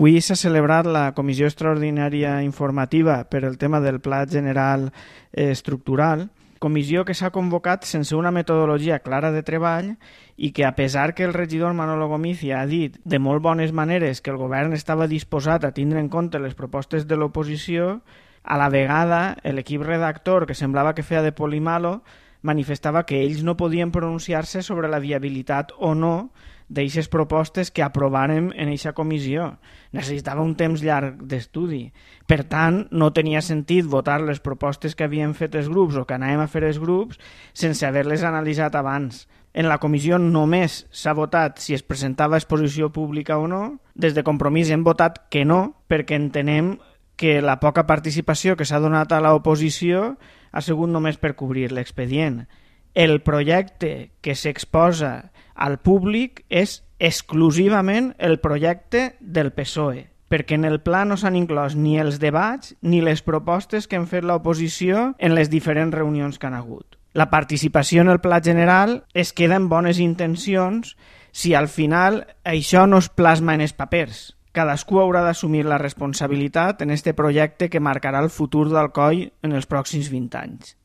Avui s'ha celebrat la Comissió Extraordinària Informativa per el tema del Pla General Estructural, comissió que s'ha convocat sense una metodologia clara de treball i que, a pesar que el regidor Manolo Gomizia ha dit de molt bones maneres que el govern estava disposat a tindre en compte les propostes de l'oposició, a la vegada l'equip redactor, que semblava que feia de polimalo, manifestava que ells no podien pronunciar-se sobre la viabilitat o no d'eixes propostes que aprovàrem en eixa comissió. Necessitava un temps llarg d'estudi. Per tant, no tenia sentit votar les propostes que havien fet els grups o que anàvem a fer els grups sense haver-les analitzat abans. En la comissió només s'ha votat si es presentava a exposició pública o no. Des de Compromís hem votat que no, perquè entenem que la poca participació que s'ha donat a l'oposició ha sigut només per cobrir l'expedient. El projecte que s'exposa al públic és exclusivament el projecte del PSOE, perquè en el pla no s'han inclòs ni els debats ni les propostes que han fet l'oposició en les diferents reunions que han hagut. La participació en el pla general es queda en bones intencions si al final això no es plasma en els papers. Cadascú haurà d'assumir la responsabilitat en este projecte que marcarà el futur d'Alcoi en els pròxims 20 anys.